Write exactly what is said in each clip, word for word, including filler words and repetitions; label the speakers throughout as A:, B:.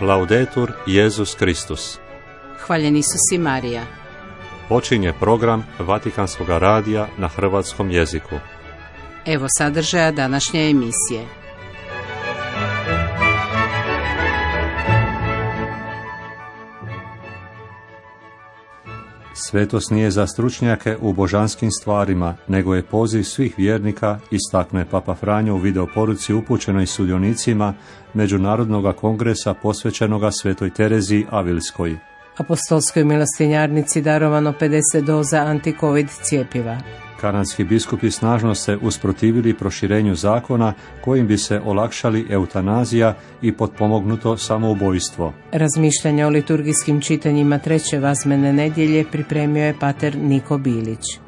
A: Laudetur Jesus Kristus.
B: Hvaljen Isus i Marija.
A: Počinje program Vatikanskog radija na hrvatskom jeziku.
B: Evo sadržaja današnje emisije.
A: Svetost nije za stručnjake u božanskim stvarima, nego je poziv svih vjernika, istakne Papa Franjo u videoporuci upućenoj sudionicima Međunarodnog kongresa posvećenoga Svetoj Tereziji Avilskoj.
B: Apostolskoj milostinjarnici darovano pedeset doza antikovid cjepiva.
A: Kanadski biskupi snažno se usprotivili proširenju zakona kojim bi se olakšali eutanazija i potpomognuto samoubojstvo.
B: Razmišljanje o liturgijskim čitanjima treće vazmene nedjelje pripremio je pater Niko Bilić.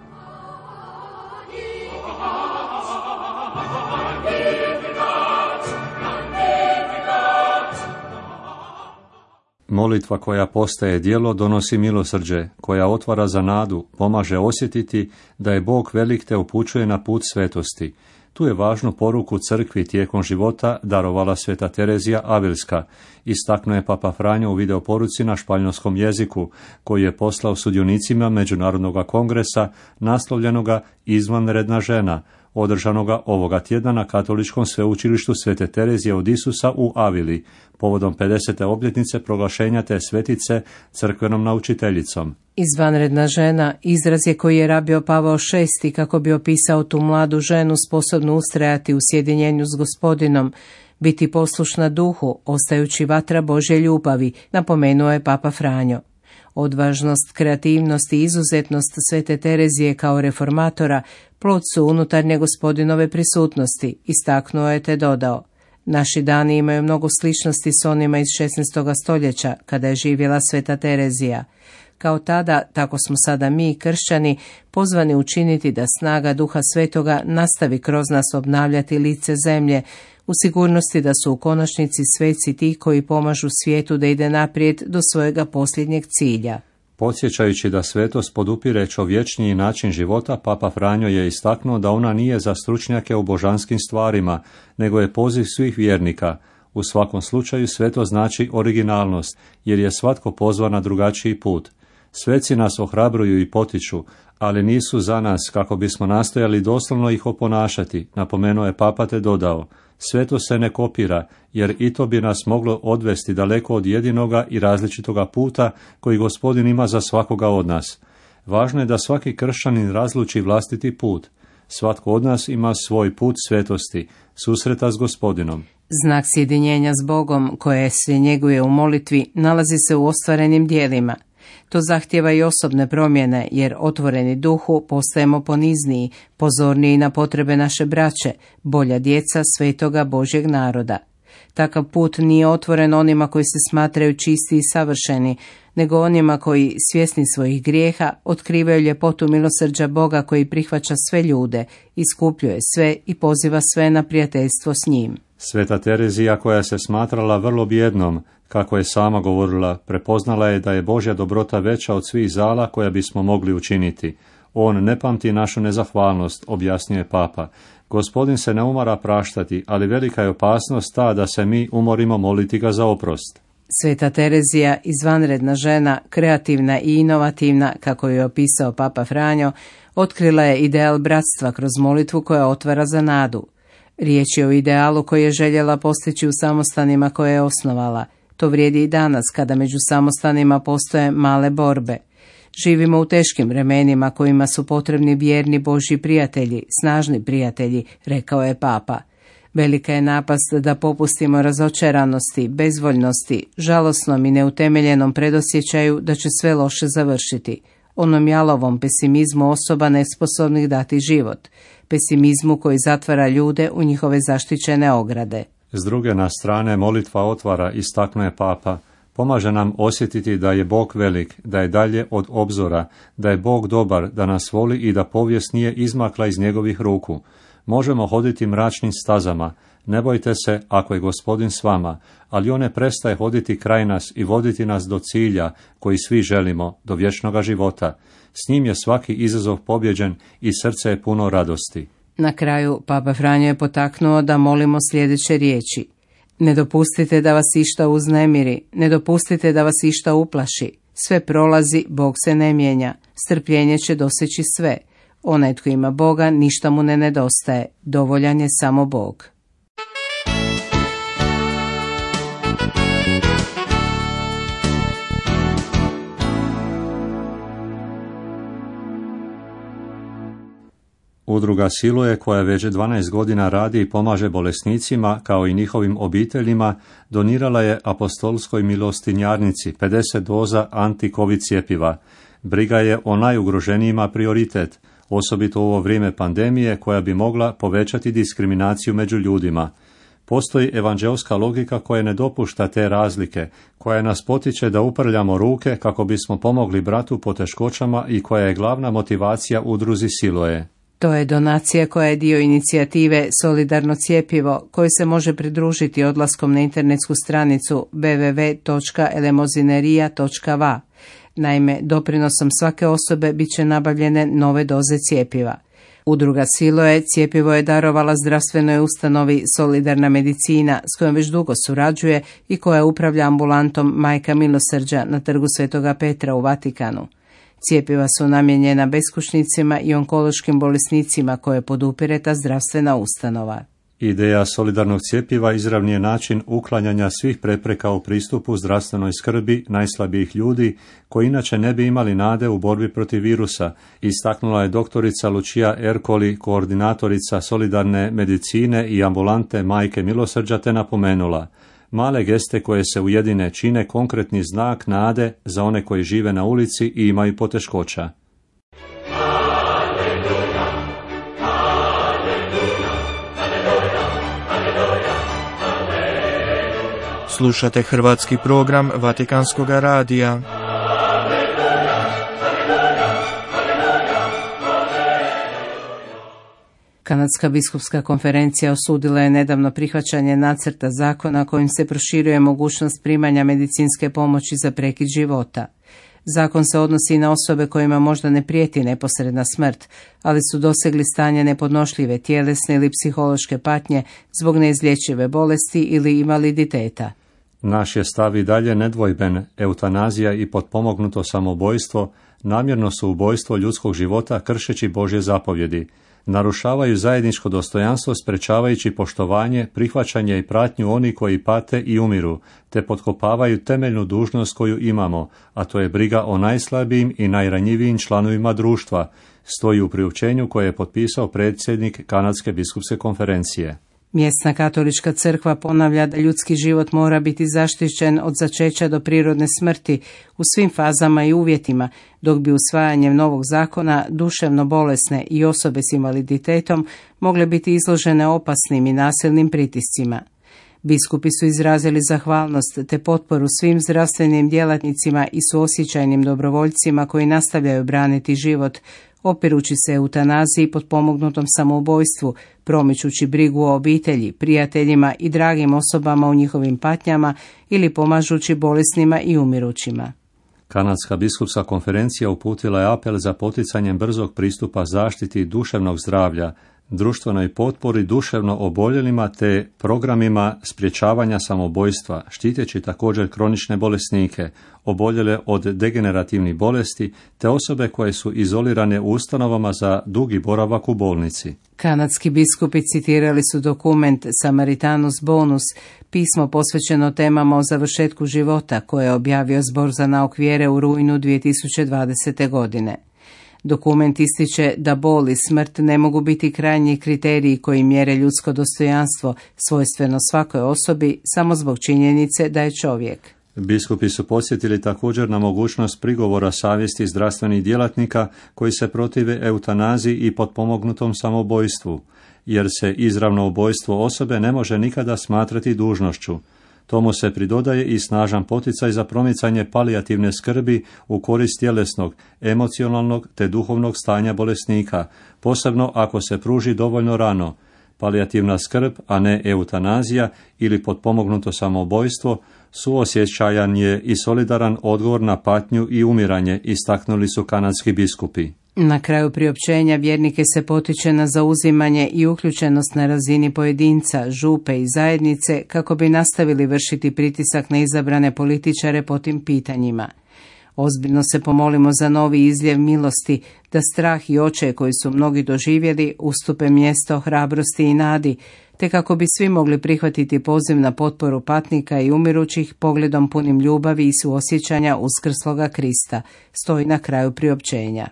A: Molitva koja postaje djelo donosi milosrđe, koja otvara za nadu, pomaže osjetiti da je Bog velik te upućuje na put svetosti. Tu je važnu poruku crkvi tijekom života darovala Sveta Terezija Avilska, istaknuo je Papa Franjo u videoporuci na španjolskom jeziku, koji je poslao sudionicima Međunarodnog kongresa naslovljenoga Izvanredna žena, održanoga ovoga tjedna na Katoličkom sveučilištu Svete Terezije od Isusa u Avili, povodom pedesete obljetnice proglašenja te svetice crkvenom naučiteljicom.
B: Izvanredna žena izraz je koji je rabio Pavao šesti kako bi opisao tu mladu ženu sposobnu ustrajati u sjedinjenju s Gospodinom, biti poslušna duhu, ostajući vatra Božje ljubavi, napomenuo je Papa Franjo. Odvažnost, kreativnost i izuzetnost Svete Terezije kao reformatora plod su unutarnje Gospodinove prisutnosti, istaknuo je te dodao. Naši dani imaju mnogo sličnosti s onima iz šesnaestoga stoljeća, kada je živjela Sveta Terezija. Kao tada, tako smo sada mi, kršćani, pozvani učiniti da snaga Duha Svetoga nastavi kroz nas obnavljati lice zemlje, u sigurnosti da su u konačnici sveci ti koji pomažu svijetu da ide naprijed do svojega posljednjeg cilja.
A: Podsjećajući da svetost podupire čovječniji način života, Papa Franjo je istaknuo da ona nije za stručnjake u božanskim stvarima, nego je poziv svih vjernika. U svakom slučaju svetost znači originalnost, jer je svatko pozvan na drugačiji put. Sveci nas ohrabruju i potiču, ali nisu za nas kako bismo nastojali doslovno ih oponašati, napomenuo je Papa te dodao. Svetost se ne kopira, jer i to bi nas moglo odvesti daleko od jedinoga i različitoga puta koji Gospodin ima za svakoga od nas. Važno je da svaki kršćanin razluči vlastiti put. Svatko od nas ima svoj put svetosti, susreta s Gospodinom.
B: Znak sjedinjenja s Bogom, koje se njeguje u molitvi, nalazi se u ostvarenim djelima. To zahtjeva i osobne promjene, jer otvoreni duhu postajemo ponizniji, pozorniji na potrebe naše braće, bolja djeca svetoga Božjeg naroda. Takav put nije otvoren onima koji se smatraju čisti i savršeni, nego onima koji, svjesni svojih grijeha, otkrivaju ljepotu milosrđa Boga koji prihvaća sve ljude, iskupljuje sve i poziva sve na prijateljstvo s njim.
A: Sveta Terezija, koja se smatrala vrlo bijednom, kako je sama govorila, prepoznala je da je Božja dobrota veća od svih zala koja bismo mogli učiniti. On ne pamti našu nezahvalnost, objasnio je Papa. Gospodin se ne umara praštati, ali velika je opasnost ta da se mi umorimo moliti ga za oprost.
B: Sveta Terezija, izvanredna žena, kreativna i inovativna, kako je opisao Papa Franjo, otkrila je ideal bratstva kroz molitvu koja otvara za nadu. Riječ je o idealu koji je željela postići u samostanima koje je osnovala. To vrijedi i danas kada među samostanima postoje male borbe. Živimo u teškim vremenima kojima su potrebni vjerni Božji prijatelji, snažni prijatelji, rekao je Papa. Velika je napast da popustimo razočaranosti, bezvoljnosti, žalosnom i neutemeljenom predosjećaju da će sve loše završiti. Onom jalovom pesimizmu osoba nesposobnih dati život. Pesimizmu koji zatvara ljude u njihove zaštićene ograde.
A: S druge na strane molitva otvara, istaknuo je Papa. Pomaže nam osjetiti da je Bog velik, da je dalje od obzora, da je Bog dobar, da nas voli i da povijest nije izmakla iz njegovih ruku. Možemo hoditi mračnim stazama, ne bojte se ako je Gospodin s vama, ali on ne prestaje hoditi kraj nas i voditi nas do cilja koji svi želimo, do vječnoga života. S njim je svaki izazov pobjeđen i srce je puno radosti.
B: Na kraju Papa Franjo je potaknuo da molimo sljedeće riječi. Ne dopustite da vas išta uznemiri, ne dopustite da vas išta uplaši. Sve prolazi, Bog se ne mijenja. Strpljenje će doseći sve. Onaj tko ima Boga, ništa mu ne nedostaje. Dovoljan je samo Bog.
A: Udruga Siloe, koja već dvanaest godina radi i pomaže bolesnicima kao i njihovim obiteljima, donirala je apostolskoj milostinjarnici pedeset doza anti-covid cjepiva. Briga je o najugroženijima prioritet, osobito u ovo vrijeme pandemije koja bi mogla povećati diskriminaciju među ljudima. Postoji evanđelska logika koja ne dopušta te razlike, koja nas potiče da uprljamo ruke kako bismo pomogli bratu po teškoćama i koja je glavna motivacija udruzi Siloe.
B: To je donacija koja je dio inicijative Solidarno cjepivo, koji se može pridružiti odlaskom na internetsku stranicu w w w točka elemozinerija točka v a. Naime, doprinosom svake osobe bit će nabavljene nove doze cjepiva. Udruga Siloe cjepivo je darovala zdravstvenoj ustanovi Solidarna medicina, s kojom već dugo surađuje i koja upravlja ambulantom Majka milosrđa na trgu Svetoga Petra u Vatikanu. Cjepiva su namijenjena beskućnicima i onkološkim bolesnicima koje podupire ta zdravstvena ustanova.
A: Ideja solidarnog cjepiva izravni je način uklanjanja svih prepreka u pristupu zdravstvenoj skrbi najslabijih ljudi koji inače ne bi imali nade u borbi protiv virusa, istaknula je doktorica Lucia Ercoli, koordinatorica solidarne medicine i ambulante Majke milosrđa, te napomenula: male geste koje se ujedine čine konkretni znak nade za one koji žive na ulici i imaju poteškoća.
C: Slušate hrvatski program Vatikanskog radija.
B: Kanadska biskupska konferencija osudila je nedavno prihvaćanje nacrta zakona kojim se proširuje mogućnost primanja medicinske pomoći za prekid života. Zakon se odnosi na osobe kojima možda ne prijeti neposredna smrt, ali su dosegli stanje nepodnošljive tjelesne ili psihološke patnje zbog neizlječive bolesti ili invaliditeta.
A: Naš je stav i dalje nedvojben. Eutanazija i potpomognuto samoubojstvo namjerno su ubojstvo ljudskog života kršeći Božje zapovjedi. Narušavaju zajedničko dostojanstvo sprečavajući poštovanje, prihvaćanje i pratnju oni koji pate i umiru, te potkopavaju temeljnu dužnost koju imamo, a to je briga o najslabijim i najranjivijim članovima društva, stoji u priopćenju koje je potpisao predsjednik Kanadske biskupske konferencije.
B: Mjesna katolička crkva ponavlja da ljudski život mora biti zaštićen od začeća do prirodne smrti u svim fazama i uvjetima, dok bi usvajanjem novog zakona duševno bolesne i osobe s invaliditetom mogle biti izložene opasnim i nasilnim pritiscima. Biskupi su izrazili zahvalnost te potporu svim zdravstvenim djelatnicima i suosjećajnim dobrovoljcima koji nastavljaju braniti život, opirući se eutanaziji i potpomognutom samoubojstvu, promičući brigu o obitelji, prijateljima i dragim osobama u njihovim patnjama ili pomažući bolesnima i umirućima.
A: Kanadska biskupska konferencija uputila je apel za poticanjem brzog pristupa zaštiti duševnog zdravlja, društvenoj potpori duševno oboljelima te programima sprječavanja samoubojstva, štiteći također kronične bolesnike, oboljele od degenerativnih bolesti te osobe koje su izolirane u ustanovama za dugi boravak u bolnici.
B: Kanadski biskupi citirali su dokument Samaritanus Bonus, pismo posvećeno temama o završetku života koje je objavio Zbor za nauk vjere u rujnu dvije tisuće dvadesete. godine. Dokument ističe da bol i smrt ne mogu biti krajnji kriteriji koji mjere ljudsko dostojanstvo, svojstveno svakoj osobi, samo zbog činjenice da je čovjek.
A: Biskupi su podsjetili također na mogućnost prigovora savjesti zdravstvenih djelatnika koji se protive eutanaziji i potpomognutom samoubojstvu, jer se izravno ubojstvo osobe ne može nikada smatrati dužnošću. Tomu se pridodaje i snažan poticaj za promicanje palijativne skrbi u korist tjelesnog, emocionalnog te duhovnog stanja bolesnika, posebno ako se pruži dovoljno rano. Palijativna skrb, a ne eutanazija ili potpomognuto samoubojstvo, suosjećajan je i solidaran odgovor na patnju i umiranje, istaknuli su kanadski biskupi.
B: Na kraju priopćenja vjernike se potiče na zauzimanje i uključenost na razini pojedinca, župe i zajednice kako bi nastavili vršiti pritisak na izabrane političare po tim pitanjima. Ozbiljno se pomolimo za novi izljev milosti, da strah i očaj koji su mnogi doživjeli ustupe mjesto hrabrosti i nadi, te kako bi svi mogli prihvatiti poziv na potporu patnika i umirućih pogledom punim ljubavi i suosjećanja uskrsloga Krista, stoji na kraju priopćenja.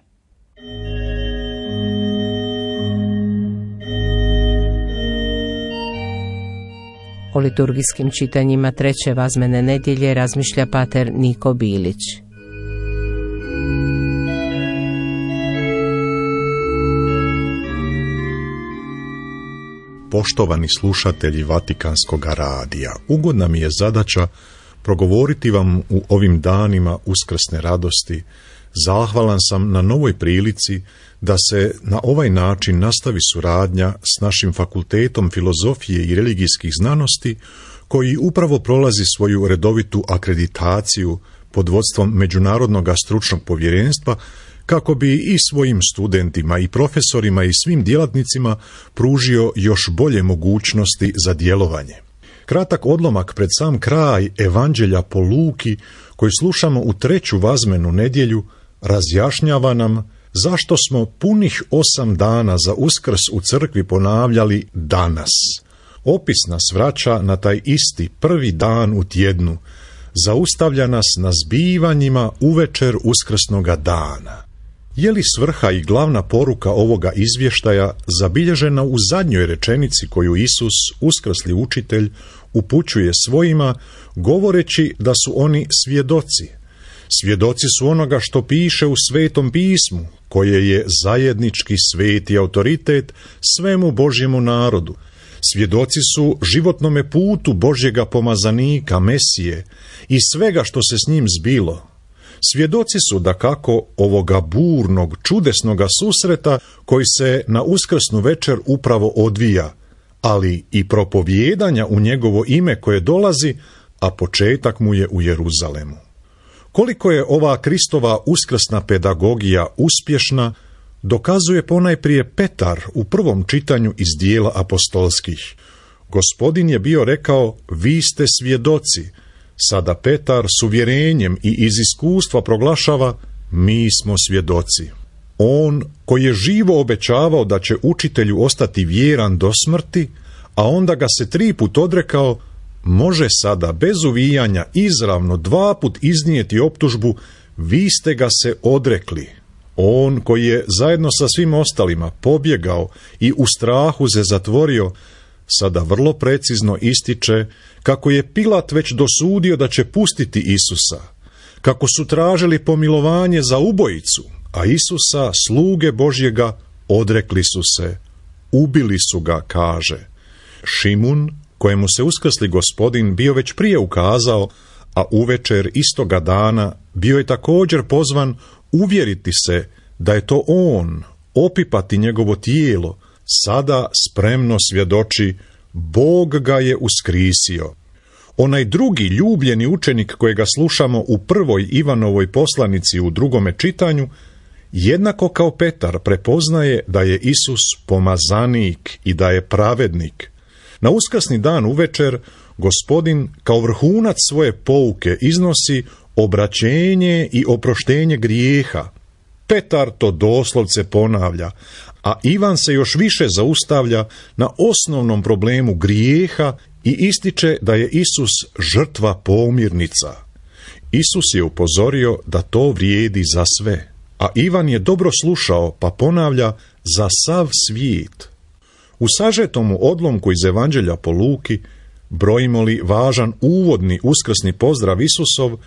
B: O liturgijskim čitanjima treće vazmene nedjelje razmišlja pater Niko Bilić.
D: Poštovani slušatelji Vatikanskog radija, ugodna mi je zadaća progovoriti vam u ovim danima uskrsne radosti. Zahvalan sam na novoj prilici da se na ovaj način nastavi suradnja s našim Fakultetom filozofije i religijskih znanosti, koji upravo prolazi svoju redovitu akreditaciju pod vodstvom Međunarodnog stručnog povjerenstva, kako bi i svojim studentima i profesorima i svim djelatnicima pružio još bolje mogućnosti za djelovanje. Kratak odlomak pred sam kraj Evanđelja po Luki, koji slušamo u treću vazmenu nedjelju, razjašnjava nam zašto smo punih osam dana za Uskrs u crkvi ponavljali danas. Opis nas vraća na taj isti prvi dan u tjednu, zaustavlja nas na zbivanjima uvečer uskrsnoga dana. Je li svrha i glavna poruka ovoga izvještaja zabilježena u zadnjoj rečenici koju Isus, uskrsli učitelj, upućuje svojima, govoreći da su oni svjedoci? Svjedoci su onoga što piše u Svetom pismu, koje je zajednički sveti autoritet svemu Božjemu narodu. Svjedoci su životnome putu Božjega pomazanika, Mesije, i svega što se s njim zbilo. Svjedoci su dakako ovoga burnog, čudesnoga susreta koji se na uskrsnu večer upravo odvija, ali i propovijedanja u njegovo ime koje dolazi, a početak mu je u Jeruzalemu. Koliko je ova Kristova uskrsna pedagogija uspješna, dokazuje ponajprije Petar u prvom čitanju iz dijela apostolskih. Gospodin je bio rekao, vi ste svjedoci. Sada Petar s uvjerenjem i iz iskustva proglašava, mi smo svjedoci. On koji je živo obećavao da će učitelju ostati vjeran do smrti, a onda ga se tri put odrekao, može sada bez uvijanja izravno dva put iznijeti optužbu, vi ste ga se odrekli. On koji je zajedno sa svim ostalima pobjegao i u strahu se zatvorio, sada vrlo precizno ističe kako je Pilat već dosudio da će pustiti Isusa, kako su tražili pomilovanje za ubojicu, a Isusa, sluge Božjega, odrekli su se, ubili su ga, kaže. Šimun, kojemu se uskrsli Gospodin bio već prije ukazao, a uvečer istoga dana bio je također pozvan uvjeriti se da je to on, opipati njegovo tijelo, sada spremno svjedoči, Bog ga je uskrisio. Onaj drugi ljubljeni učenik kojega slušamo u prvoj Ivanovoj poslanici u drugome čitanju, jednako kao Petar prepoznaje da je Isus pomazanik i da je pravednik. Na uskrsni dan uvečer Gospodin kao vrhunac svoje pouke iznosi obraćenje i oproštenje grijeha. Petar to doslovce ponavlja, a Ivan se još više zaustavlja na osnovnom problemu grijeha i ističe da je Isus žrtva pomirnica. Isus je upozorio da to vrijedi za sve, a Ivan je dobro slušao pa ponavlja za sav svijet. U sažetomu odlomku iz Evanđelja po Luki brojimo li važan uvodni uskrsni pozdrav Isusov,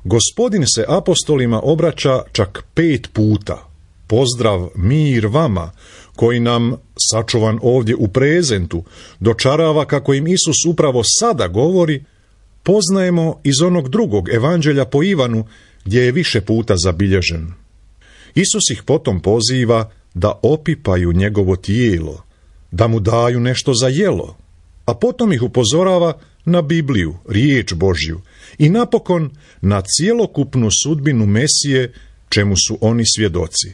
D: Gospodin se apostolima obraća čak pet puta. Pozdrav mir vama, koji nam, sačuvan ovdje u prezentu, dočarava kako im Isus upravo sada govori, poznajemo iz onog drugog Evanđelja po Ivanu, gdje je više puta zabilježen. Isus ih potom poziva da opipaju njegovo tijelo, da mu daju nešto za jelo, a potom ih upozorava na Bibliju, riječ Božju, i napokon na cjelokupnu sudbinu Mesije, čemu su oni svjedoci.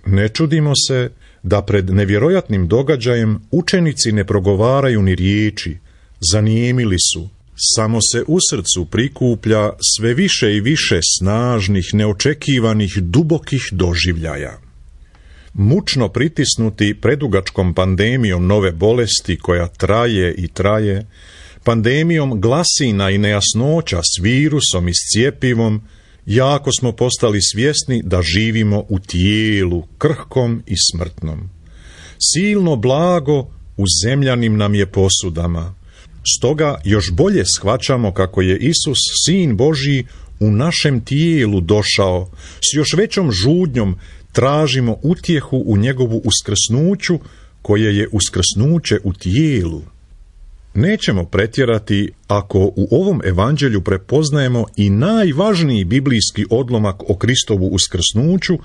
D: Ne čudimo se da pred nevjerojatnim događajem učenici ne progovaraju ni riječi, zanijemili su, samo se u srcu prikuplja sve više i više snažnih, neočekivanih, dubokih doživljaja. Mučno pritisnuti predugačkom pandemijom nove bolesti koja traje i traje, pandemijom glasina i nejasnoća s virusom i s cjepivom, jako smo postali svjesni da živimo u tijelu, krhkom i smrtnom. Silno blago u zemljanim nam je posudama. Stoga još bolje shvaćamo kako je Isus, Sin Božji, u našem tijelu došao, s još većom žudnjom tražimo utjehu u njegovu uskrsnuću, koje je uskrsnuće u tijelu. Nećemo pretjerati ako u ovom evanđelju prepoznajemo i najvažniji biblijski odlomak o Kristovu uskrsnuću,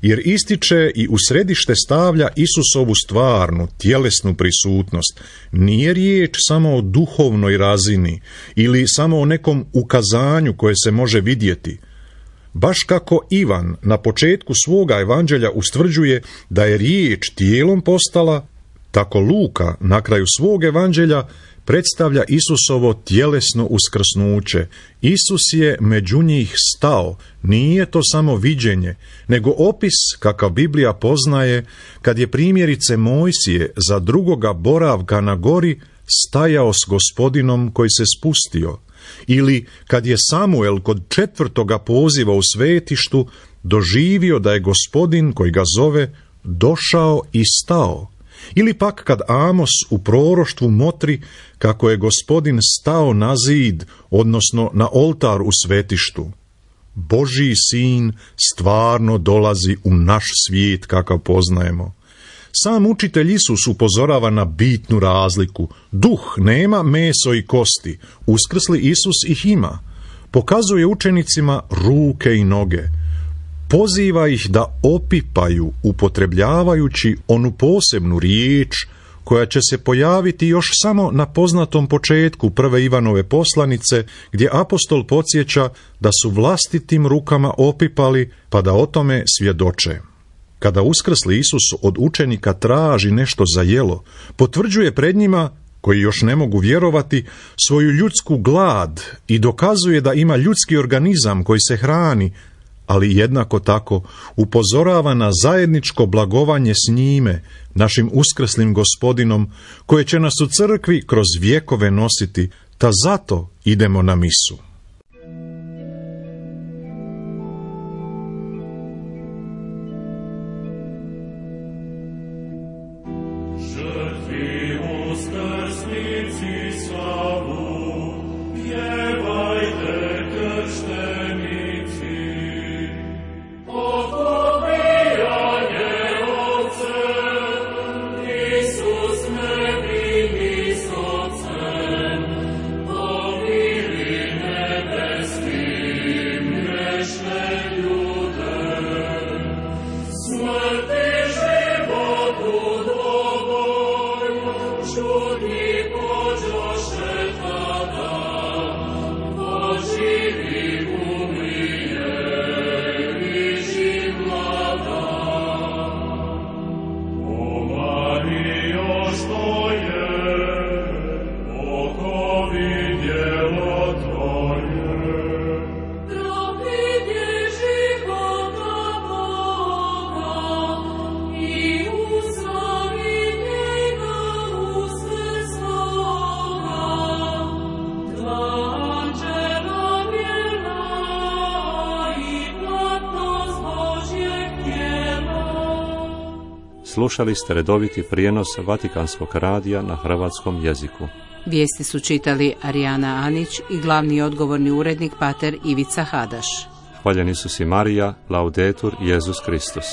D: jer ističe i u središte stavlja Isusovu stvarnu, tjelesnu prisutnost. Nije riječ samo o duhovnoj razini ili samo o nekom ukazanju koje se može vidjeti. Baš kako Ivan na početku svoga evanđelja ustvrđuje da je riječ tijelom postala, tako Luka na kraju svog evanđelja predstavlja Isusovo tjelesno uskrsnuće. Isus je među njih stao, nije to samo viđenje, nego opis kakav Biblija poznaje kad je primjerice Mojsije za drugoga boravka na gori stajao s Gospodinom koji se spustio, ili kad je Samuel kod četvrtoga poziva u svetištu doživio da je Gospodin koji ga zove došao i stao. Ili pak kad Amos u proroštvu motri kako je Gospodin stao na zid, odnosno na oltar u svetištu. Božji sin stvarno dolazi u naš svijet kakav poznajemo. Sam učitelj Isus upozorava na bitnu razliku. Duh nema meso i kosti, uskrsli Isus ih ima. Pokazuje učenicima ruke i noge. Poziva ih da opipaju, upotrebljavajući onu posebnu riječ koja će se pojaviti još samo na poznatom početku prve Ivanove poslanice, gdje apostol podsjeća da su vlastitim rukama opipali, pa da o tome svjedoče. Kada uskrsli Isus od učenika traži nešto za jelo, potvrđuje pred njima, koji još ne mogu vjerovati, svoju ljudsku glad i dokazuje da ima ljudski organizam koji se hrani, ali jednako tako upozorava na zajedničko blagovanje s njime, našim uskrslim Gospodinom, koje će nas u crkvi kroz vjekove nositi, ta zato idemo na misu.
A: Slušali ste redoviti prijenos Vatikanskog radija na hrvatskom jeziku.
B: Vijesti su čitali Arijana Anić i glavni odgovorni urednik pater Ivica Hadaš.
A: Hvaljeni su si Marija, Laudetur, Jezus Kristus.